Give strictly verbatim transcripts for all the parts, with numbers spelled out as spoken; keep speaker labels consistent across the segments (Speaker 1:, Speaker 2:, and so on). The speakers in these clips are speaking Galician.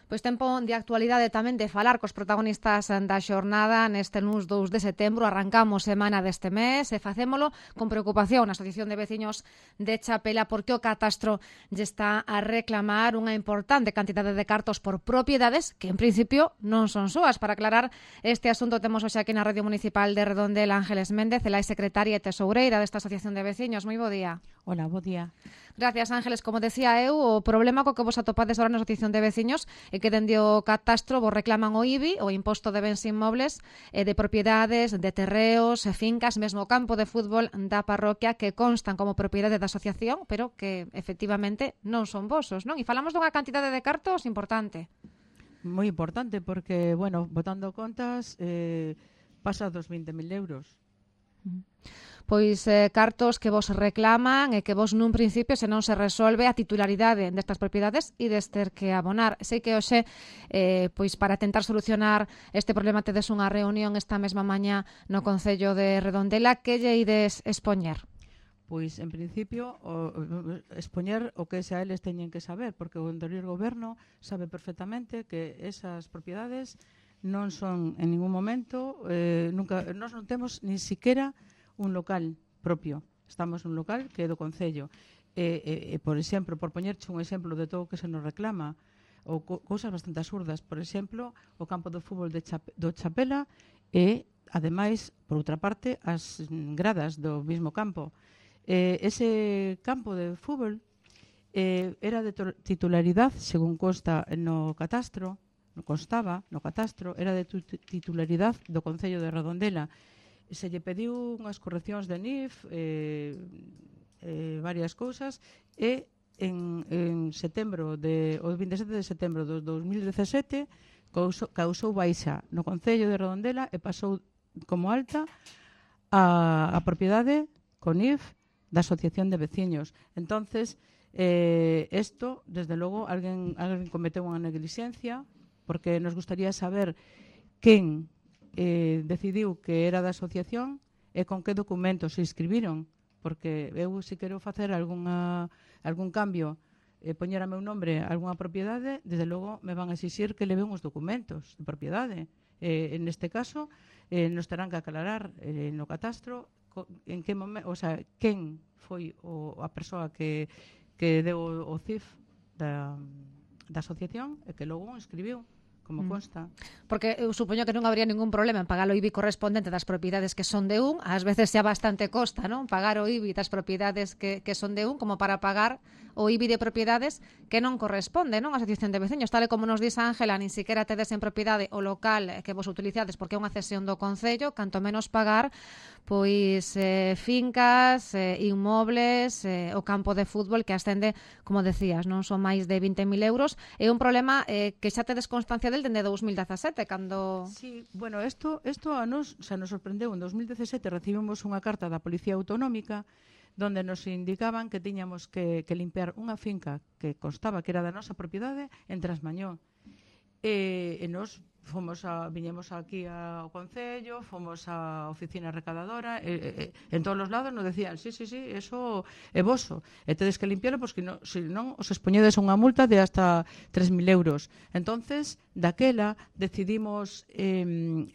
Speaker 1: Pois tempo de actualidade tamén de falar cos protagonistas da xornada neste luns dous de setembro. Arrancamos semana deste mes e facémolo con preocupación na Asociación de Veciños de Chapela porque o catastro lle está a reclamar unha importante cantidade de cartos por propiedades que en principio non son súas. Para aclarar este asunto temos hoxe aquí na Radio Municipal de Redondela Ángeles Méndez, ela é secretaria e tesoureira desta Asociación de Veciños. Moi bo día.
Speaker 2: Hola, bo día.
Speaker 1: Gracias, Ángeles. Como decía eu, o problema co que vos atopades agora na Asociación de Veciños é que dende o catastro vos reclaman o I B I, o Imposto de Bens Inmobles, e de propiedades, de terreos, fincas, mesmo o campo de fútbol da parroquia que constan como propiedade da asociación, pero que efectivamente non son vosos, non? E falamos dunha cantidade de cartos importante.
Speaker 2: Moi importante porque, bueno, botando contas, eh, pasa dos vinte mil euros.
Speaker 1: Pois eh, cartos que vos reclaman e que vos nun principio se non se resolve a titularidade destas propiedades e des ter que abonar. Sei que hoxe, eh, pois para tentar solucionar este problema tedes unha reunión esta mesma mañá no Concello de Redondela. Que lle ides expoñer?
Speaker 2: Pois, en principio, o, o, expoñer o que xa eles teñen que saber, porque o anterior goberno sabe perfectamente que esas propiedades non son en ningún momento, eh, nunca, nós non temos ni siquiera un local propio. Estamos nun local que é do Concello. E, e, e, por exemplo, por poñerche un exemplo de todo o que se nos reclama, ou co cousas bastante absurdas, por exemplo, o campo de fútbol de Chape do Chapela e, ademais, por outra parte, as gradas do mismo campo. Eh, ese campo de fútbol eh, era de titularidade, según consta no catastro, no constaba no catastro, era de titularidade do Concello de Redondela. Se lle pediu unhas correccións de N I F, eh, eh, varias cousas, e en, en setembro de, o vinte e sete de setembro do dos mil dezasete causou, causou baixa no Concello de Redondela e pasou como alta a, a propiedade con N I F da Asociación de Veciños. Entonces, eh, esto, desde logo, alguén, alguén cometeu unha negligencia, porque nos gustaría saber quen Eh, decidiu que era da asociación e con que documentos se inscribiron, porque eu se quero facer algunha, algún cambio e eh, poñer a meu nombre a algunha propiedade, desde logo me van a exixir que leve uns documentos de propiedade. Eh, en este caso, eh, nos terán que aclarar eh, no catastro co, en que momento, o sea, quen foi o, a persoa que, que deu o, o C I F da, da asociación e que logo o inscribiu, como consta.
Speaker 1: Porque eu supoño que non habría ningún problema en pagar o I B I correspondente das propiedades que son de un, ás veces xa bastante costa, non? Pagar o I B I das propiedades que, que son de un, como para pagar o I B I de propiedades que non corresponde, non? A Asociación de Veciños, tal e como nos dice Ángela, nin siquiera tedes en propiedade o local que vos utilizades porque é unha cesión do Concello, canto menos pagar pois eh, fincas, eh, inmobles, eh, o campo de fútbol que ascende, como decías, non son máis de vinte mil euros. É un problema eh, que xa tedes constancia del dende dos mil dezasete, cando...
Speaker 2: Sí, bueno, isto, isto a nos, xa nos sorprendeu. En dos mil dezasete recibimos unha carta da Policía Autonómica donde nos indicaban que tiñamos que, que limpiar unha finca que constaba que era da nosa propiedade en Trasmañó. E, e nos fomos a, viñemos aquí ao Concello, fomos á oficina recadadora, e, e, en todos os lados nos decían, sí, sí, sí, eso é voso, e tedes que limpiarlo, porque no, se non os expoñedes a unha multa de hasta tres mil euros. Entonces, daquela, decidimos eh,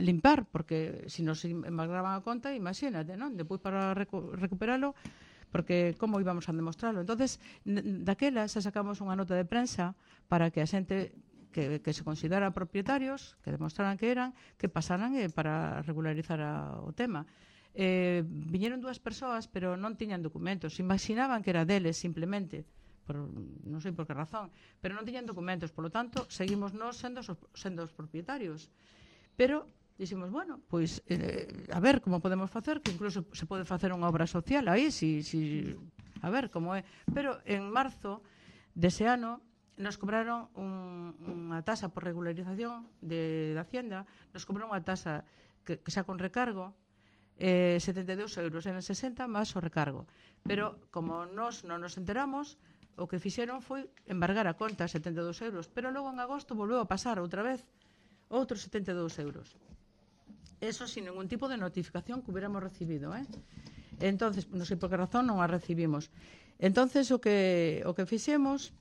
Speaker 2: limpar, porque se nos embargaban a conta, imagínate, non? Depois para recu recuperalo, porque como íbamos a demostrarlo. Entonces, daquela, xa sacamos unha nota de prensa para que a xente Que, que se consideran propietarios, que demostraran que eran, que pasaran eh, para regularizar a, o tema. Eh, viñeron dúas persoas, pero non tiñan documentos. Imaginaban que era deles, simplemente, por, non sei por que razón, pero non tiñan documentos. Por lo tanto, seguimos nós sendo, sendo os propietarios. Pero dixemos, bueno, pois, eh, a ver como podemos facer, que incluso se pode facer unha obra social aí, si, si, a ver como é. Pero en marzo dese ano, nos cobraron un, unha tasa por regularización de, de Hacienda, nos cobraron unha tasa que, que xa con recargo, eh, setenta e dous euros, eran sesenta máis o recargo. Pero, como nós non nos enteramos, o que fixeron foi embargar a conta, setenta e dous euros, pero logo en agosto volveu a pasar outra vez outros setenta e dous euros. Eso sin ningún tipo de notificación que hubiéramos recibido, eh? Entonces, non sei por que razón non a recibimos. Entonces, o que, o que fixemos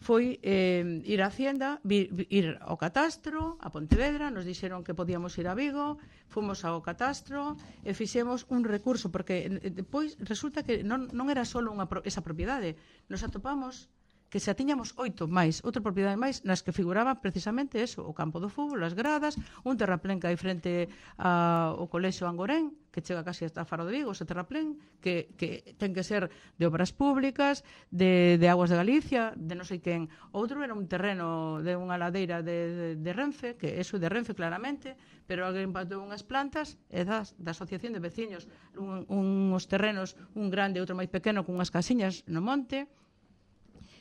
Speaker 2: foi eh, ir á Hacienda, vir, ir ao catastro, a Pontevedra, nos dixeron que podíamos ir a Vigo, fomos ao catastro e fixemos un recurso, porque depois resulta que non, non era só unha, esa propiedade, nos atopamos que xa tiñamos oito máis, outra propiedade máis, nas que figuraba precisamente eso, o campo do fútbol, as gradas, un terraplén que hai frente ao colexio Angorén, que chega casi hasta Faro de Vigo, ese terraplén, que, que ten que ser de obras públicas, de, de Aguas de Galicia, de non sei quen. Outro era un terreno de unha ladeira de, de, de Renfe, que eso de Renfe claramente, pero alguén patou unhas plantas e das, da asociación de veciños, un, uns terrenos, un grande e outro máis pequeno, con unhas casiñas no monte.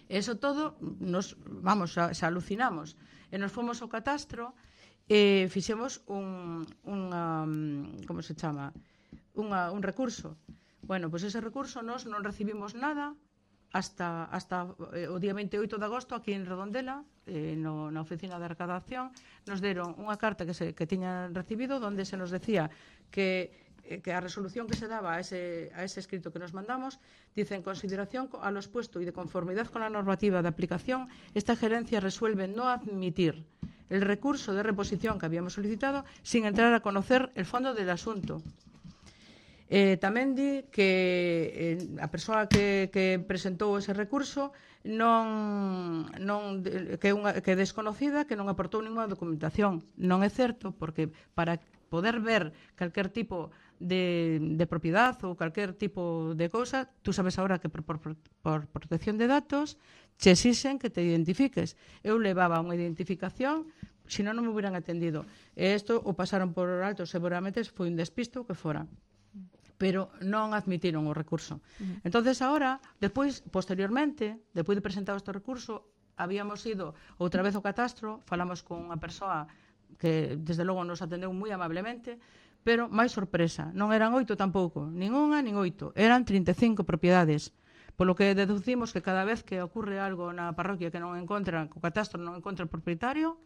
Speaker 2: Eso todo, nos, vamos, xa, xa alucinamos. E nos fomos ao catastro e fixemos un, unha, como se chama, unha, un recurso. Bueno, pois ese recurso nos non recibimos nada hasta, hasta eh, o día veintioito de agosto aquí en Redondela, eh, no, na oficina de recadación, nos deron unha carta que, se, que tiñan recibido onde se nos decía que que a resolución que se daba a ese, a ese escrito que nos mandamos dice: en consideración a lo expuesto y de conformidad con la normativa de aplicación, esta gerencia resuelve no admitir el recurso de reposición que habíamos solicitado sin entrar a conocer el fondo del asunto. Eh, tamén di que eh, a persoa que, que presentou ese recurso non, non que, unha, que é desconocida, que non aportou ninguna documentación. Non é certo, porque para poder ver calquer tipo de, de propiedad ou calquer tipo de cousa, tú sabes agora que por, por, por protección de datos che exixen que te identifiques. Eu levaba unha identificación, se non, non me hubieran atendido. E isto o pasaron por alto, seguramente foi un despisto que fora. Pero non admitiron o recurso. Uh-huh. Entonces agora, despois, posteriormente, despois de presentado este recurso, habíamos ido outra vez ao catastro, falamos con unha persoa que desde logo nos atendeu moi amablemente, pero máis sorpresa, non eran oito tampouco, nin unha nin oito, eran trinta e cinco propiedades. Polo que deducimos que cada vez que ocurre algo na parroquia que non encontra, o catastro non encontra o propietario,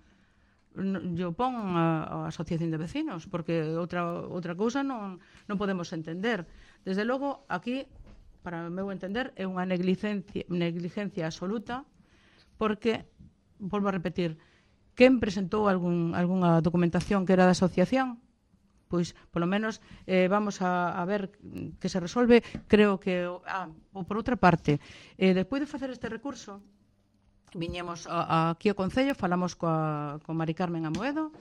Speaker 2: yo pon a, a asociación de vecinos, porque outra outra cousa non, non podemos entender. Desde logo, aquí, para o meu entender, é unha negligencia, negligencia absoluta, porque, volvo a repetir, quen presentou algún, algunha documentación que era da asociación? Pois, polo menos, eh, vamos a, a ver que se resolve. Creo que, ah, ou por outra parte, eh, despois de facer este recurso, viñemos a, a, aquí ao Concello, falamos coa, coa Mari Carmen Amoedo,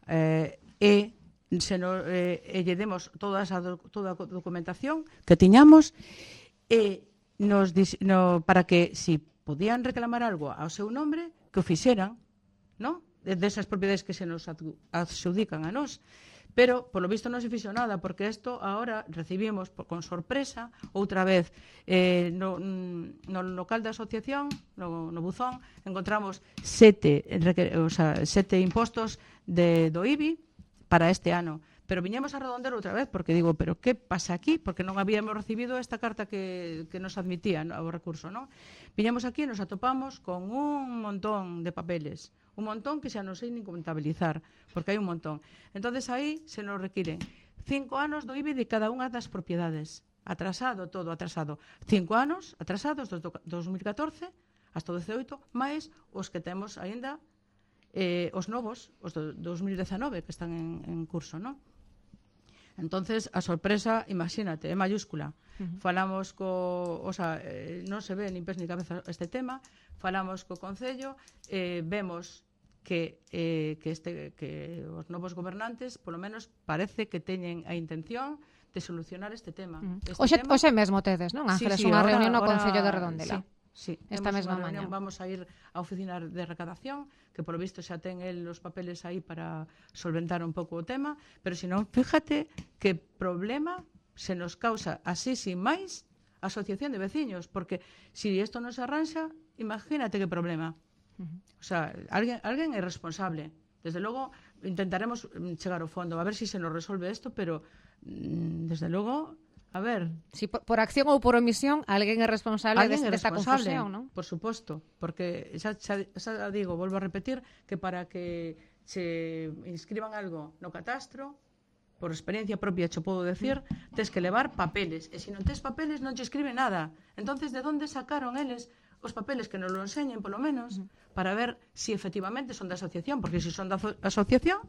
Speaker 2: eh, e se no, eh, e lle demos toda, esa, toda a documentación que tiñamos, e nos, no, para que, si podían reclamar algo ao seu nombre, que o fixeran, ¿no? Desas propiedades que se nos adxudican a nós. Pero, polo visto, non se fixo nada, porque isto agora recibimos con sorpresa, outra vez, eh, no, no local da asociación, no, no buzón, encontramos sete, o sea, sete impostos de, do I B I para este ano. Pero viñemos a Redondela outra vez, porque digo, pero que pasa aquí? Porque non habíamos recibido esta carta que, que nos admitía, ¿no?, o recurso, non? Viñemos aquí e nos atopamos con un montón de papeles, un montón que xa non sei nin contabilizar, porque hai un montón. Entonces aí se nos requiren cinco anos do I B I de cada unha das propiedades. Atrasado, todo atrasado. Cinco anos atrasados do dos mil catorce hasta o dezaoito, máis os que temos aínda, eh, os novos, os do dos mil dezanove, que están en, en curso, non? Entonces, a sorpresa, imagínate, é mayúscula. Uh-huh. Falamos co, o sea, eh, non se ve nin pés ni cabeza este tema, falamos co Concello, eh, vemos que, eh, que, este, que os novos gobernantes, polo menos, parece que teñen a intención de solucionar este tema.
Speaker 1: Uh-huh.
Speaker 2: Este
Speaker 1: Oxe,
Speaker 2: tema...
Speaker 1: oxe mesmo tedes, non, Ángeles,
Speaker 2: sí, sí,
Speaker 1: unha
Speaker 2: ahora,
Speaker 1: reunión no
Speaker 2: ahora,
Speaker 1: Concello de Redondela.
Speaker 2: Sí. Sí,
Speaker 1: esta mesma mañá.
Speaker 2: Vamos a ir á oficina de recadación, que polo visto xa ten el os papeles aí para solventar un pouco o tema, pero se non, fíjate que problema se nos causa así sin máis a asociación de veciños, porque se si isto non se arranxa, imagínate que problema. Uh-huh. O sea, alguén, alguén é responsable. Desde logo intentaremos chegar ao fondo, a ver se si se nos resolve isto, pero desde logo... A ver,
Speaker 1: si por, por acción ou por omisión alguén é responsable
Speaker 2: alguén é
Speaker 1: desta
Speaker 2: responsable,
Speaker 1: confusión, non?
Speaker 2: Por suposto, porque xa, xa, xa digo, volvo a repetir que para que se inscriban algo no catastro, por experiencia propia che podo decir, tes que levar papeles, e se non tes papeles non che escribe nada. Entonces, de onde sacaron eles os papeles que nos lo enseñen, polo menos, uh-huh. para ver si efectivamente son da asociación, porque si son da asociación,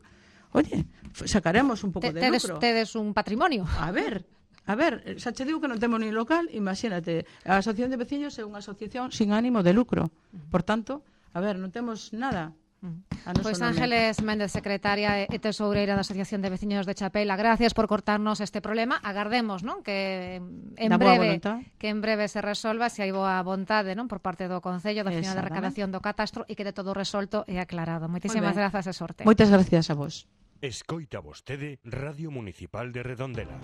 Speaker 2: oye, sacaremos un pouco
Speaker 1: Te,
Speaker 2: de
Speaker 1: tedes,
Speaker 2: lucro.
Speaker 1: Tedes un patrimonio.
Speaker 2: A ver, a ver, xa che digo que non temos ni local, imagínate, a Asociación de Veciños é unha asociación sin ánimo de lucro. Por tanto, a ver, non temos nada.
Speaker 1: Pois pues Ángeles Méndez, secretaria e tesoureira da Asociación de Veciños de Chapela, gracias por cortarnos este problema. Agardemos, non, que en breve que en breve se resolva, se hai boa vontade, non, por parte do Concello da Oficina de Recadación do Catastro e que de todo resolto e aclarado. Moitísimas grazas e sorte.
Speaker 2: Moitas gracias a vos.
Speaker 3: Escoita vostede Radio Municipal de Redondela.